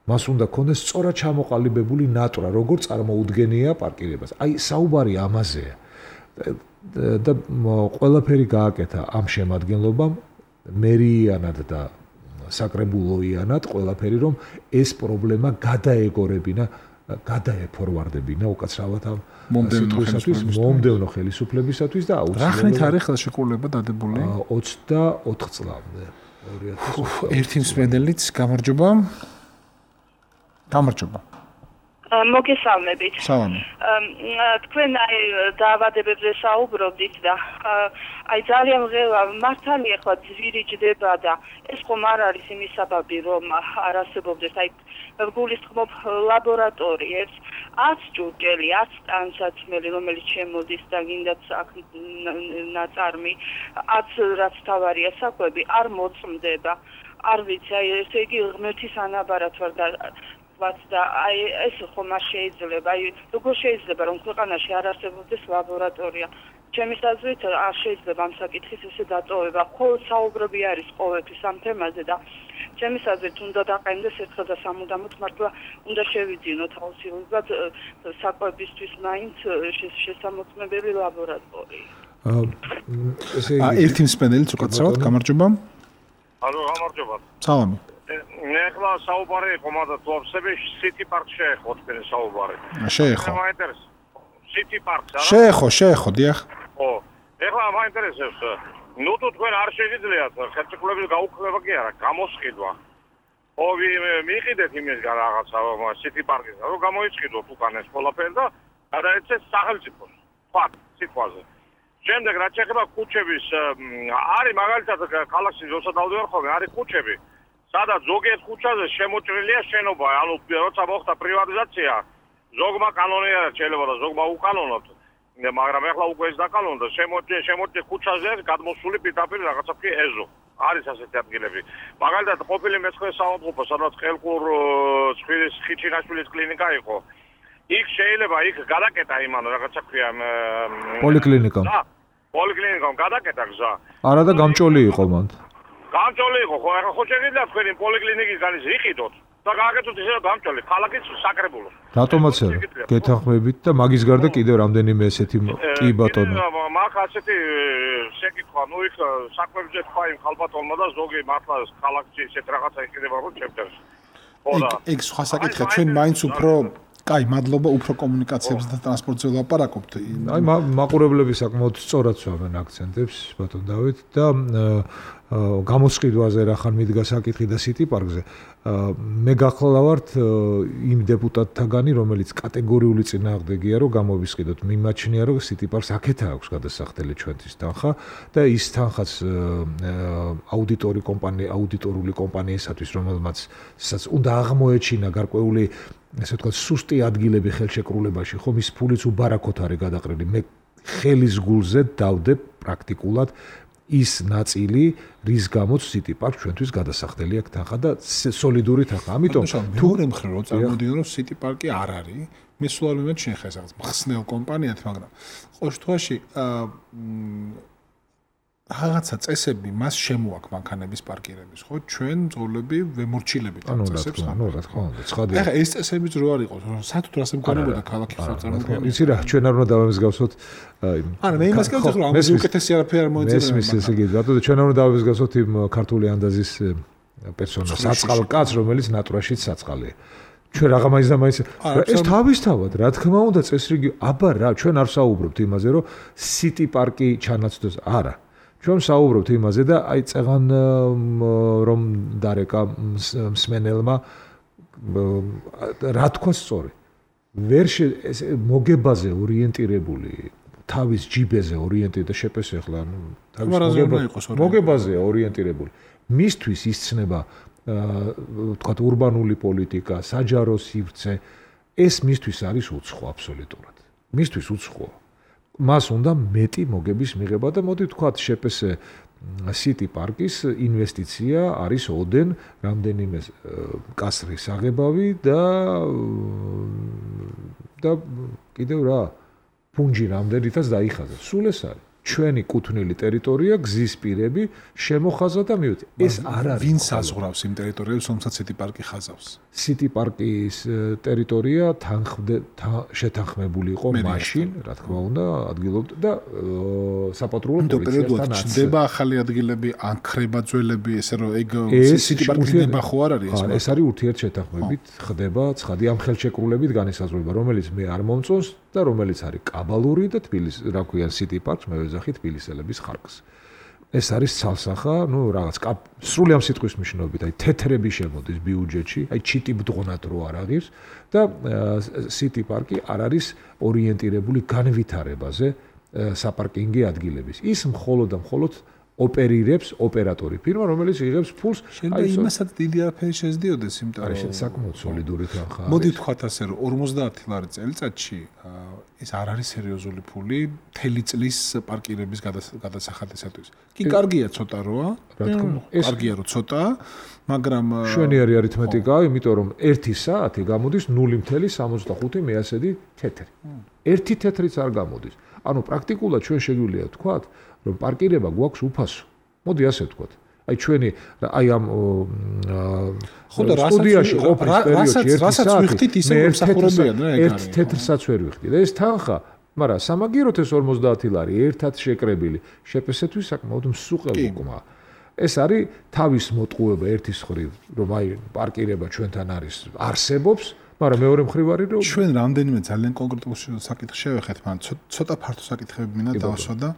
მას უნდა ქონდეს სწორად ჩამოყალიბებული ნატრა, როგორ წარმოუდგენია პარკირებას. აი საუბარი ამაზეა. და ყველაფერი გააკეთა ამ შემადგენლობამ მერიანად და საკრებულოიანად ყველაფერი რომ ეს პრობლემა გადაეგორებინა, გადაეფორვარდებინა უკაცრავად ამ მომდევნო მომდევნო ხელისუფლებისათვის და აუცილებლად. რა ხნით არის ხელშეკრულება დადებული? ოცდაოთხ წლამდე. ერთი მსმენელიც გამარჯობა. გამარჯობა. მოგესალმებით. სალამი. თქვენ აი დაავადებებზე საუბრობდით და აი ძალიან ღელა მართალია ხო ძვირი ჯდება და ეს ხომ არ არის იმის საბაბი რომ არ არსებობდეს აი გულისხმობ ლაბორატორიებს, ათ ჯუჯელი, ათ ტანსაცმელი, რომელიც შემოდის და გინდაც აქ ნაწარმი, ათ რაც თავარია საკვები არ მოწმდება. არ ვიცი, აი ესე იგი ღმერთის ანაბარად ვარ და და აი ეს ხომ არ შეიძლება, აი როგორ შეიძლება რომ ქვეყანაში არ არსებობდეს ლაბორატორია. ჩემი აზრით არ შეიძლება ამ საკითხის ესე დატოვება. ხოლმე საუბრობი არის ყოველთვის ამ თემაზე და ჩემი აზრით უნდა დაყენდეს ერთხელ და სამუდამოდ მართლა უნდა შევიძინოთ აუცილებლად საკვებისთვის მაინც შესამოწმებელი ლაბორატორია. ესე იგი ერთი მსმენელიც უკაცრავად გამარჯობა. ალო, გამარჯობა. სალამი. მე ახლა საუბარი იყო, მაგრამ თვალსები სიტი პარკ შეეხო თქვენი საუბარი. შეეხო. მაინტერესებს. სიტი პარკს არა? შეეხო, შეეხო, დიახ. ხო. ეხლა მაინტერესებს. ნუ თუ თქვენ არ შეგიძლიათ ხელშეკრულების გაუქმება კი არა, გამოსყიდვა. ხო, მიიყიდეთ იმისგან რაღაცა სიტი პარკის, რომ გამოიწყიდოთ უკან ეს ყველაფერი და გადაეცეს სახელმწიფოს. ფაქტ, სიტყვაზე. შემდეგ რაც შეეხება ქუჩების არის მაგალითად ქალაქში როცა დავდივარ ხოლმე არის ქუჩები სადაც ზოგიერთ ქუჩაზე შემოჭრილია შენობა ანუ როცა მოხდა პრივატიზაცია ზოგმა კანონიერად შეიძლება და ზოგმა უკანონოდ მაგრამ ახლა უკვე ეს დაკანონდა შემოჭრე შემოჭრე ქუჩაზე გადმოსული პირდაპირ რაღაცა კი ეზო არის ასეთი ადგილები მაგალითად ყოფილი მეცხრე საავადმყოფო სადაც ყელყურ ცხვირის ხიჩინაშვილის კლინიკა იყო იქ შეიძლება იქ გადაკეტა იმან რაღაცა ქვია პოლიკლინიკამ. და პოლიკლინიკამ გადაკეტა გზა. არა და გამჭოლი იყო მან. გამჭოლი იყო ხო ახლა ხო შეგიძლიათ თქვენი პოლიკლინიკისგან ის იყიდოთ და გააკეთოთ ისე გამჭოლი ქალაქის საკრებულო. რატომაც არა გეთანხმებით და მაგის გარდა კიდევ რამდენიმე ესეთი კი ბატონო. მაგ ასეთი შეკითხვა ნუ იქ საქმეებზე თქვა იმ ხალბატონმა და ზოგი მართლა ქალაქში ესეთ რაღაცა იყიდება რომ ჩემთვის. ხო და ეგ სხვა საკითხია ჩვენ მაინც უფრო კაი, მადლობა უფრო კომუნიკაციებს და ტრანსპორტზე ვლაპარაკობთ. აი მაყურებლები საკმაოდ სწორად სვამენ აქცენტებს ბატონ დავით და გამოსყიდვაზე რახან მიდგა საკითხი და სიტი პარკზე. მე გახლავართ იმ დეპუტატთაგანი, რომელიც კატეგორიული წინააღმდეგია, რომ გამოვისყიდოთ. მიმაჩნია, რომ სიტი პარკს აქეთა აქვს გადასახდელი ჩვენთვის თანხა და ის თანხაც აუდიტორი კომპანია, აუდიტორული კომპანიისათვის, რომელმაც უნდა აღმოეჩინა გარკვეული ესე ვთქვათ, სუსტი ადგილები ხელშეკრულებაში, ხომ ის ფულიც უბარაქოთ არის გადაყრილი. მე ხელის გულზე დავდებ პრაქტიკულად ის ნაწილი, რის გამოც City Park ჩვენთვის გადასახდელი აქვს თანხა და სოლიდური თანხა. ამიტომ თუ მეორე მხრივ რომ წარმოდიო რომ City Park-ი არ არის, მე სულ არ მიმეჩნია ხეს რაღაც მხსნელ კომპანიად, მაგრამ ყოველ შემთხვევაში რაღაცა წესები მას შემოაქვს მანქანების პარკირების, ხო? ჩვენ მძღოლები ვემორჩილებით ამ წესებს. ანუ რა თქმა უნდა, ცხადია. ეხლა ეს წესებიც რო არ იყოს, სათუთო ასე მქონებოდა ქალაქი ხო წარმოგვიდგენია. იცი რა, ჩვენ არ უნდა დავემსგავსოთ არა, მე იმას გავწევ, რომ ამაზე უკეთესი არაფერი არ მოიწერა. მესმის ესე იგი, ბატონო, ჩვენ არ უნდა დავემსგავსოთ იმ ქართული ანდაზის პერსონაჟს, საწყალ კაცს, რომელიც ნატურაშიც საწყალია. ჩვენ რაღა მაინც და მაინც ეს თავისთავად, რა თქმა უნდა, წესრიგი, აბა რა, ჩვენ არ საუბრობთ იმაზე, რომ City Park-ი ჩანაცვლოს, არა. ჩვენ საუბრობთ იმაზე და აი წეღან რომ დარეკა მსმენელმა რა თქვა სწორი. ვერ მოგებაზე ორიენტირებული, თავის ჯიბეზე ორიენტირებული და შეპეს ახლა ანუ თავის მოგებაზე ორიენტირებული. მისთვის ისცნება ვთქვათ ურბანული პოლიტიკა, საჯარო სივრცე, ეს მისთვის არის უცხო აბსოლუტურად. მისთვის უცხოა. მას უნდა მეტი მოგების მიღება და მოდი ვთქვათ შეპესე City Park-ის ინვესტიცია არის ოდენ რამდენიმე კასრი საღებავი და და კიდევ რა პუნჯი რამდენითაც დაიხაზა. სულ ეს არის ჩვენი კუთვნილი ტერიტორია, გზის პირები, შემოხაზა და მივედი. ეს არ არის. ვინ საზღვრავს იმ ტერიტორიებს, რომელსაც City Park-ი ხაზავს? City Park-ის ტერიტორია შეთანხმებული იყო მაშინ, რა თქმა უნდა, ადგილობრივ და საპატრულო პოლიციასთან აცი. ჩნდება ახალი ადგილები, ან ხრება ძველები, ესე რომ ეგ City Park-ის ნება ხო არ არის ეს? ეს არის ურთიერთშეთანხმებით, ხდება ცხადი ამ ხელშეკრულებით განისაზღვრება, რომელიც მე არ მომწონს და რომელიც არის კაბალური და თბილისის, რა ქვია, City Park-ს მე ვეძახი თბილისელების ხარკს. ეს არის ცალსახა, ну, რაღაც სრული ამ სიტყვის მნიშვნელობით, აი თეთრები შემოდის ბიუჯეტში, აი ჩიტი ბდღონად რო არ აღირს და City Park-ი არ არის ორიენტირებული განვითარებაზე საპარკინგი ადგილების. ის მხოლოდ და მხოლოდ ოპერირებს ოპერატორი ფირმა, რომელიც იღებს ფულს. აი იმასაც დიდი არაფერი შეძდიოდეს, იმიტომ რომ საკმაოდ სოლიდური თანხაა. მოდი ვთქვათ ასე, რომ ორმოცდაათი ლარი წელიწადში ეს არ არის სერიოზული ფული მთელი წლის პარკირების გადასახადისათვის. კი, კარგია ცოტა როა, რა თქმა უნდა, კარგია რომ ცოტაა, მაგრამ შვენი არის არითმეტიკა, იმიტომ რომ ერთი საათი გამოდის ნული მთელი სამოცდახუთი მეასედი თეთრი. ერთი თეთრიც არ გამოდის. ანუ პრაქტიკულად ჩვენ შეგვიძლია ვთქვათ, რომ პარკირება გვაქვს უფასო. მოდი ასე ვთქვათ. აი ჩვენი აი ამ სტუდიაში ყოფნის პერიოდში ერთი საათი მე ერთ თეთრსაც ვერ ვიხდი და ეს თანხა, მაგრამ სამაგიეროდ ეს ორმოცდაათი ლარი ერთად შეკრებილი შეპესეთვის საკმაოდ მსუყელ უკმა. ეს არის თავის მოტყუება ერთის ხრივ, რომ აი პარკირება ჩვენთან არის არსებობს, მაგრამ მეორე მხრივ არის რომ ჩვენ რამდენიმე ძალიან კონკრეტულ საკითხს შევეხეთ, მაგრამ ცოტა ფართო საკითხები მინდა დავსვა და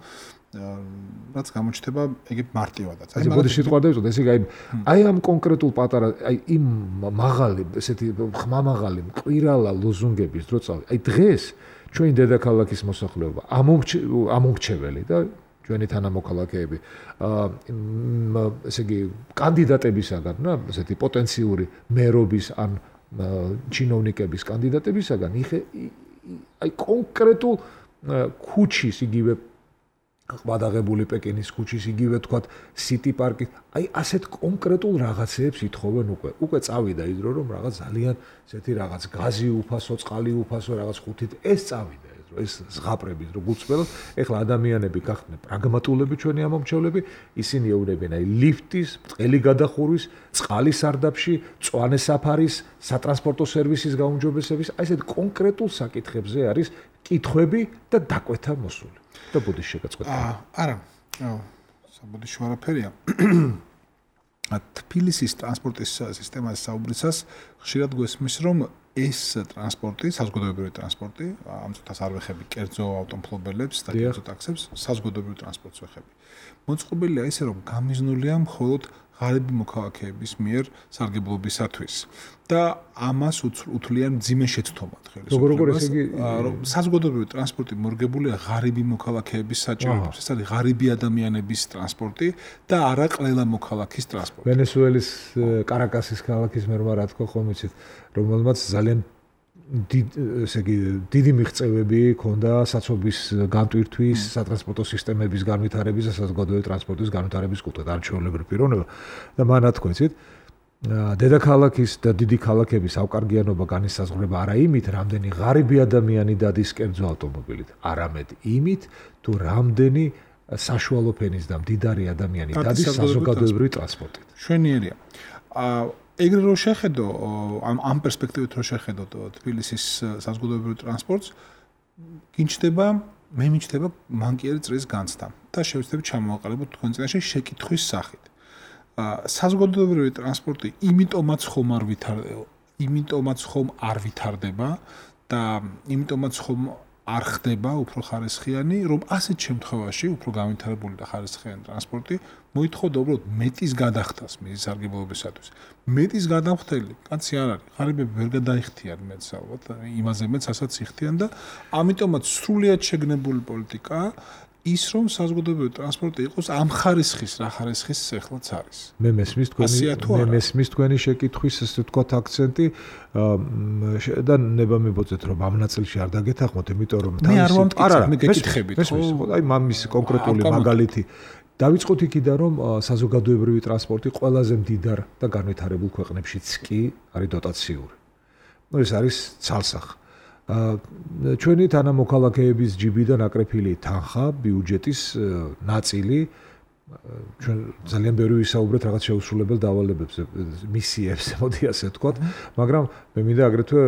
რაც გამოჩნდება ეგ მარტივადაც. აი მოდი სიტყვა დავიწყოთ, ესე იგი აი აი ამ კონკრეტულ პატარა აი იმ მაღალი, ესეთი ხმამაღალი მყირალა ლოზუნგების დრო წავი. აი დღეს ჩვენი დედაქალაქის მოსახლეობა ამომრჩეველი და ჩვენი თანამოქალაქეები აა ესე იგი კანდიდატებისაგან, რა, ესეთი პოტენციური მერობის ან ჩინოვნიკების კანდიდატებისაგან იხე აი კონკრეტულ ქუჩის იგივე ყბადაღებული პეკინის ქუჩის, იგივე თქვათ სიტი პარკი. აი ასეთ კონკრეტულ რაღაცეებს ითხოვენ უკვე. უკვე წავიდა ის დრო, რომ რაღაც ძალიან ესეთი რაღაც გაზი უფასო, წყალი უფასო, რაღაც ხუთით ეს წავიდა ეს დრო, ეს ზღაპრების დრო გუწბელად. ეხლა ადამიანები გახდნენ პრაგმატულები ჩვენი ამომრჩევლები, ისინი ეუბნებიან აი ლიფტის, ბრტყელი გადახურვის, წყალის სარდაფში, მწვანე საფარის, სატრანსპორტო სერვისის გაუმჯობესების, აი ესეთ კონკრეტულ საკითხებზე არის კითხვები და დაკვეთა მოსული. და ბოდიში შეგაწყვეტა. არა. საბოდიში ვარაფერია. თბილისის ტრანსპორტის სისტემაზე საუბრისას ხშირად გვესმის, რომ ეს ტრანსპორტი, საზოგადოებრივი ტრანსპორტი, ამ წუთას არ ვეხები კერძო ავტომობილებს და კერძო ტაქსებს, საზოგადოებრივი ტრანსპორტს ვეხები. მოწყობილია ისე, რომ გამიზნულია მხოლოდ ღარიბი მოქალაქეების მიერ სარგებლობისათვის და ამას უთვლიან მძიმე შეცდომად ხელისუფლებას, რომ საზოგადოებრივი ტრანსპორტი მორგებულია ღარიბი მოქალაქეების საჭიროებებს. ეს არის ღარიბი ადამიანების ტრანსპორტი და არა ყველა მოქალაქის ტრანსპორტი. ვენესუელის კარაკასის ქალაქის მერმა რა თქო ხომ იცით, რომელმაც ძალიან ესე იგი დიდი მიღწევები ჰქონდა საცობის განტვირთვის, სატრანსპორტო სისტემების განვითარების და საზოგადოებრივი ტრანსპორტის განვითარების კუთხით არჩეულებრივი პიროვნება და მან თქვა, იცით, დედაქალაქის და დიდი ქალაქების ავკარგიანობა განისაზღვრება არა იმით, რამდენი ღარიბი ადამიანი დადის კერძო ავტომობილით, არამედ იმით, თუ რამდენი საშუალო ფენის და მდიდარი ადამიანი დადის საზოგადოებრივი ტრანსპორტით. შვენიერია. ეგრე რო შეხედო ამ ამ პერსპექტივით რო შეხედო თბილისის საზოგადოებრივ ტრანსპორტს, გინჩდება, მე მიჩნდება მანკიერი წრის განცდა და შევეცდებით ჩამოვაყალიბოთ თქვენ წინაშე შეკითხვის სახით. საზოგადოებრივი ტრანსპორტი იმიტომაც ხომ არ ვითარდება, იმიტომაც ხომ არ ვითარდება და იმიტომაც ხომ არ ხდება უფრო ხარისხიანი, რომ ასეთ შემთხვევაში უფრო განვითარებული და ხარისხიანი ტრანსპორტი მოითხოვდა უბრალოდ მეტის გადახდას მის სარგებლობისათვის. მეტის გადამხდელი კაცი არ არის, ღარიბები ვერ გადაიხდიან მეტს ალბათ, იმაზე მეც ასაც იხდიან და ამიტომაც სრულიად შეგნებული პოლიტიკა ის რომ საზოგადოებრივი ტრანსპორტი იყოს ამ ხარისხის, რა ხარისხის ეხლაც არის. მე მესმის თქვენი მე მესმის თქვენი შეკითხვის ესე ვთქვათ აქცენტი და ნება მიბოძეთ რომ ამ ნაწილში არ დაგეთახმოთ, იმიტომ რომ მე არ ვამტკიცებ, მე გეკითხებით, ხო? აი მამის კონკრეტული მაგალითი დავიწყოთ იქიდან რომ საზოგადოებრივი ტრანსპორტი ყველაზე მდიდარ და განვითარებულ ქვეყნებშიც კი არის დოტაციური. ნუ ეს არის ცალსახ. ჩვენი თანამოქალაქეების ჯიბიდან აკრეფილი თანხა, ბიუჯეტის ნაწილი ჩვენ ძალიან ბევრი ვისაუბრეთ რაღაც შეუსრულებელ დავალებებზე, მისიებზე, მოდი ასე ვთქვათ, მაგრამ მე მინდა აგრეთვე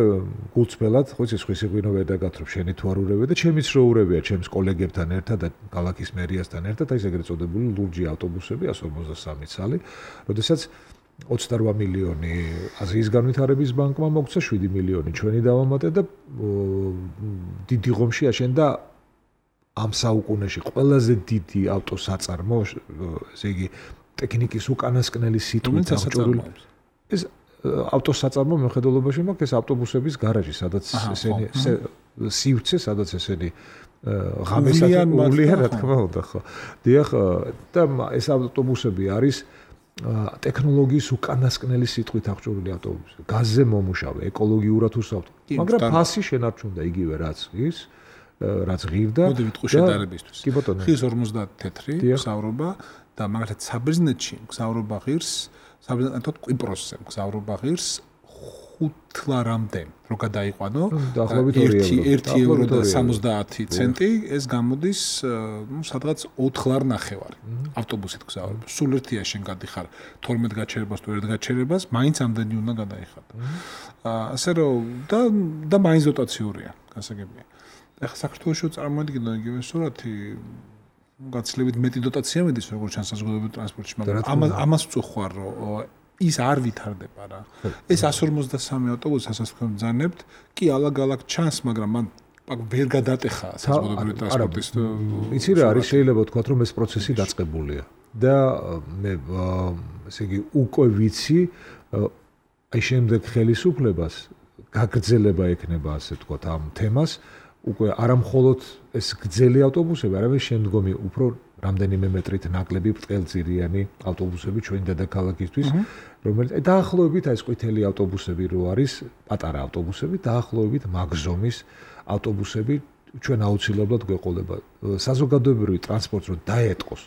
გულწრფელად, ხო იცი, სხვისი ღვინო ვერ დაგათრობ, შენი თუ არ ურევია და ჩემიც რო ურევია ჩემს კოლეგებთან ერთად და ქალაქის მერიასთან ერთად, აი ეს ეგრეთ წოდებული ლურჯი ავტობუსები εκατს ორმოცდასამი ცალი, როდესაც ოცდარვა მილიონი აზიის განვითარების ბანკმა მოგცა შვიდი მილიონი ჩვენი დავამატე და დიდი ღომში აშენდა ამ საუკუნეში ყველაზე დიდი ავტოსაწარმო, ესე იგი ტექნიკის უკანასკნელი სიტყვით აღჭურვილი. ეს ავტოსაწარმო მეხედველობაში მაქვს ეს ავტობუსების გარაჟი, სადაც ესენი სივრცე, სადაც ესენი ღამესათმული რა თქმა უნდა, ხო. დიახ, და ეს ავტობუსები არის ტექნოლოგიის უკანასკნელი სიტყვით აღჭურვილი ავტობუსები. გაზზე მომუშავე, ეკოლოგიურად უსაფრთხო. მაგრამ ფასი შენარჩუნდა იგივე რაც ის რაც ღირდა. მოდი ვიტყვი შედარებისთვის. ღირს ორმოცდაათი თეთრი გზავრობა და მაგალითად საბერძნეთში გზავრობა ღირს, საბერძნეთთან კვიპროსზე გზავრობა ღირს ხუთლარამდე რო გადაიყვანო, ერთი ევრო და სამოცდაათი ცენტი, ეს გამოდის, ну, სადღაც ოთხლარ ნახევარი ავტობუსით გზავრობა. სულ ერთია შენ გადიხარ თორმეტ გაჩერებას თუ ერთ გაჩერებას, მაინც ამდენი უნდა გადაიხადო. ასე რომ და და მაინც დოტაციურია, გასაგებია. ეხლა საქართველოში წარმოედგინო იგივე სურათი, გაცილებით მეტი დოტაცია მიდის როგორც ჩანს საზოგადოებრივ ტრანსპორტში, მაგრამ ამას ამას ვწუხარ, რომ ის არ ვითარდება რა. ეს εκατს ორმოცდასამი ავტობუსი, ასაც თქვენ ბრძანებთ, კი ალაგ-ალაგ ჩანს, მაგრამ მან ვერ გადატეხა საზოგადოებრივი ტრანსპორტის. იცი რა არის, შეიძლება ვთქვათ, რომ ეს პროცესი დაწყებულია და მე ესე იგი უკვე ვიცი აი შემდეგ ხელისუფლებას გაგრძელება ექნება ასე ვთქვათ ამ თემას. უკვე არა მხოლოდ ეს გრძელი ავტობუსები, არამედ შემდგომი უფრო რამდენიმე მეტრით ნაკლები ბრტყელძირიანი ავტობუსები ჩვენ დედაქალაქისთვის, რომელიც დაახლოებით აი ეს ყვითელი ავტობუსები რო არის, პატარა ავტობუსები, დაახლოებით მაგზომის ავტობუსები ჩვენ აუცილებლად გვეყოლება საზოგადოებრივი ტრანსპორტს რომ დაეტყოს.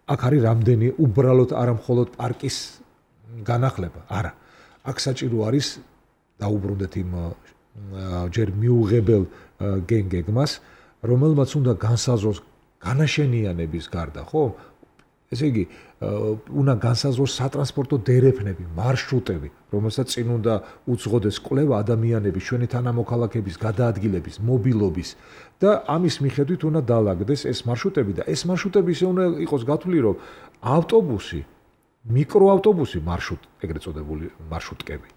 აქ არის რამდენი უბრალოდ არა მხოლოდ პარკის განახლება, არა. აქ საჭირო არის დაუბრუნდეთ იმ ჯერ მიუღებელ გენგეგმას, რომელმაც უნდა განსაზღვროს განაშენიანების გარდა, ხო? ესე იგი, უნდა განსაზღვროს სატრანსპორტო დერეფნები, მარშრუტები, რომელსაც წინ უნდა უძღოდეს კვლევა ადამიანების, ჩვენი თანამოქალაქეების გადაადგილების, მობილობის და ამის მიხედვით უნდა დაალაგდეს ეს მარშრუტები და ეს მარშრუტები ისე უნდა იყოს გათვლილი, რომ ავტობუსი, მიკროავტობუსი მარშრუტ, ეგრეთ წოდებული მარშრუტკები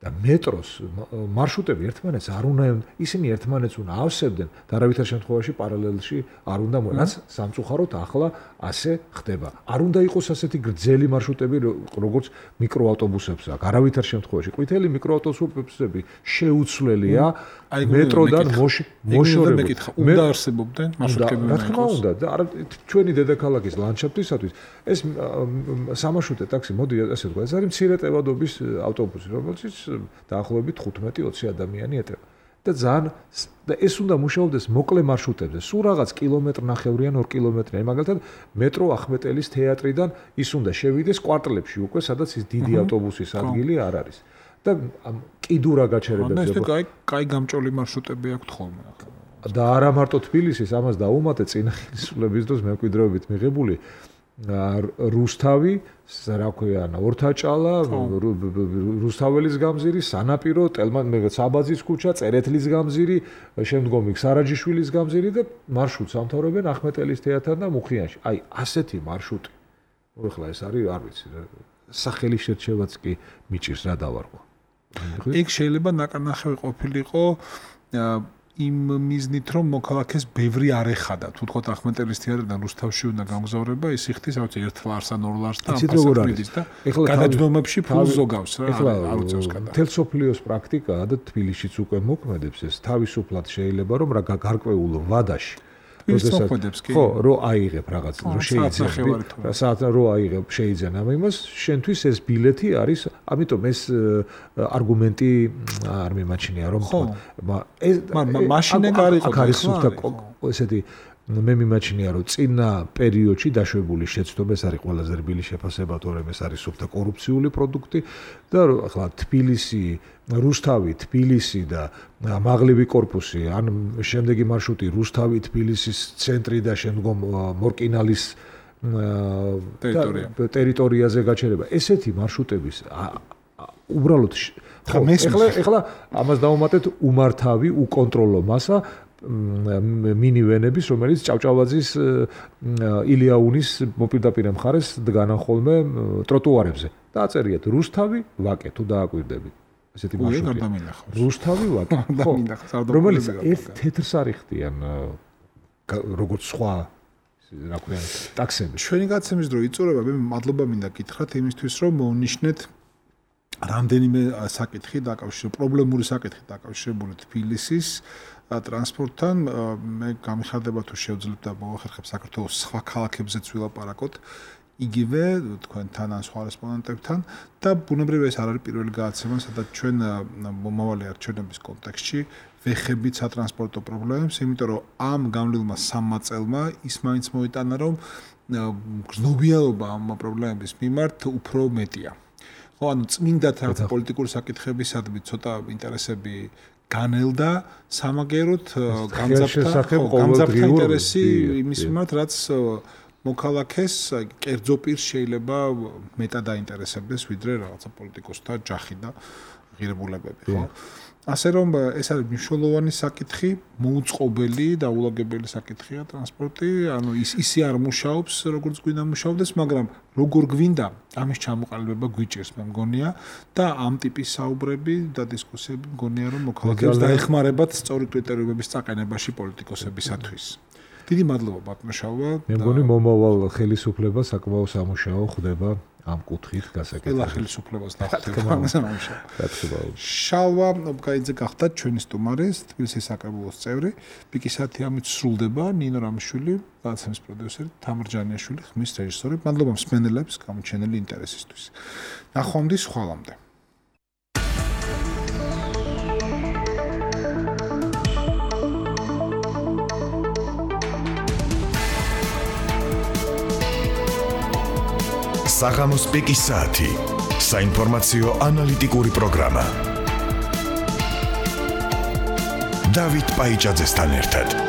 და მეტროს მარშრუტები ერთმანეთს არ უნდა ისინი ერთმანეთს უნდა ავსებდნენ და არავითარ შემთხვევაში პარალელში არ უნდა რაც სამწუხაროდ ახლა ასე ხდება. არ უნდა იყოს ასეთი გრძელი მარშრუტები როგორც მიკროავტობუსებს აქვს. არავითარ შემთხვევაში ყვითელი მიკროავტობუსები შეუცვლელია მეტროდან მოშორებით. უნდა არსებობდნენ მარშრუტები. რა თქმა უნდა და ჩვენი დედაქალაქის ლანდშაფტისათვის ეს სამარშრუტე ტაქსი მოდი ასე ვთქვა, ეს არის მცირე ტევადობის ავტობუსი, რომელიც დაახლოებით ხუთმეტი ოცი ადამიანი ეტევა. და ძალიან და ეს უნდა მუშაობდეს მოკლე მარშრუტებზე. სულ რაღაც კილომეტრ ნახევრიან, ორ კილომეტრიან. მაგალითად, მეტრო ახმეტელის თეატრიდან ის უნდა შევიდეს კვარტლებში უკვე, სადაც ის დიდი ავტობუსის ადგილი არ არის. და კიდურა გაჩერებებზე. ეს კაი, კაი გამჭოლი მარშრუტები აქვს ხოლმე ახლა. და არა მარტო თბილისის, ამას დაუმატე წინა ხელისუფლების დროს მემკვიდრეობით მიღებული რუსთავი, რა ქვია, ორთაჭალა, რუსთაველის გამზირი, სანაპირო, საბაძის ქუჩა, წერეთლის გამზირი, შემდგომი სარაჯიშვილის გამზირი და მარშრუტს ამთავრებენ ახმეტელის თეატრთან და მუხიანში. აი, ასეთი მარშრუტი. ეხლა ეს არის, არ ვიცი, სახელი შერჩევაც კი მიჭირს რა დავარქვა. ეგ შეიძლება ნაკარნახევი ყოფილიყო იმ მიზნით, რომ მოქალაქეს ბევრი არ ეხადა. თუ თქვათ ახმეტელის თეატრიდან რუსთავში უნდა გამგზავრება, ის იხდის, რა ვიცი, ერთ ლარს ან ორ ლარს და ამფასებრივის და გადაჯდომებში ფულს ზოგავს რა. არ უწევს გადա. მთელ სოფლიოს პრაქტიკაა და თბილისშიც უკვე მოქმედებს ეს. თავისუფლად შეიძლება რომ რა გარკვეულ ვადაში ხო, რო აიღებ რაღაც, რო შეიძლება, საათ რო აიღებ, შეიძლება ამ იმას, შენთვის ეს ბილეთი არის, ამიტომ ეს არგუმენტი არ მიმაჩნია, რომ ეს მაშინე გარიყო არის სულთა ესეთი მე მიმაჩნია, რომ წინა პერიოდში დაშვებული შეცდომა ეს არის ყველაზე რბილი შეფასება, თორემ ეს არის სულთა კორუფციული პროდუქტი და ახლა თბილისი, რუსთავი, თბილისი და მაღლივი კორპუსი, ან შემდეგი მარშრუტი რუსთავი, თბილისის ცენტრი და შემდგომ მორკინალის ტერიტორიაზე გაჩერება. ესეთი მარშრუტების უბრალოდ ეხლა ეხლა ამას დავუმატეთ უმართავი, უკონტროლო მასა მინივენების, რომელიც ჭავჭავაძის ილიაუნის მოპირდაპირე მხარეს დგანან ხოლმე ტროტუარებზე. დააწერიათ რუსთავი, ვაკე თუ დააკვირდებით. ესეთი მარშრუტი. რუსთავი, ვაკე. რომელიც ერთ თეთრს არიხდიან როგორც სხვა რა ქვია ტაქსები. ჩვენი გაცემის დრო იწურება, მე მადლობა მინდა გითხრათ იმისთვის, რომ მოვნიშნეთ რამდენიმე საკითხი დაკავშირებული, პრობლემური საკითხი დაკავშირებული თბილისის ტრანსპორტთან. მე გამიხარდება თუ შევძლებთ და მოვახერხებ საქართველოს სხვა ქალაქებზეც ვილაპარაკოთ იგივე თქვენთან ან სხვა რესპონდენტებთან და ბუნებრივია ეს არ არის პირველი გადაცემა, სადაც ჩვენ მომავალი არჩევნების კონტექსტში ვეხებით სატრანსპორტო პრობლემებს, იმიტომ რომ ამ გამლილმა სამმა წელმა ის მაინც მოიტანა, რომ გრძნობიალობა ამ პრობლემების მიმართ უფრო მეტია. ხო, ანუ წმინდად რაღაც პოლიტიკური საკითხებისადმი ცოტა ინტერესები განელდა, სამაგეროთ გამძაფრდა ინტერესი იმის მიმართ, რაც მოქალაქეს კერძო პირს შეიძლება მეტად დაინტერესებდეს, ვიდრე რაღაცა პოლიტიკოსთა ჯახი და ღირებულებები, ხო? ასე რომ ეს არის მნიშვნელოვანი საკითხი, მოუწყობელი და ულაგებელი საკითხია ტრანსპორტი, ანუ ის ისე არ მუშაობს, როგორც გვინდა მუშაობდეს, მაგრამ როგორ გვინდა ამის ჩამოყალიბება გვიჭირს, მე მგონია და ამ ტიპის საუბრები და დისკუსიები მგონია, რომ მოქალაქეებს დაეხმარებათ სწორი კრიტერიუმების წაყენებაში პოლიტიკოსებისათვის. დიდი მადლობა ბატონშავა. მე მგონი მომავალ ხელისუფლებას საკმაოდ სამუშაო ხდება ამ კუთხით გასაკეთებელი. ყველა ხელისუფლებას დახვდება სამუშაო. შალვა ობკაიძე გახდა ჩვენი სტუმარი, თბილისის საკრებულოს წევრი. პიკისათი ამით სრულდება ნინო რამიშვილი, გადაცემის პროდიუსერი, თამარ ჯანიაშვილი, ხმის რეჟისორი. მადლობა მსმენელებს გამოჩენილი ინტერესისთვის. ნახვამდის ხვალამდე. საღამოს პიკის საათი. საინფორმაციო ანალიტიკური პროგრამა. დავით პაიჭაძესთან ერთად.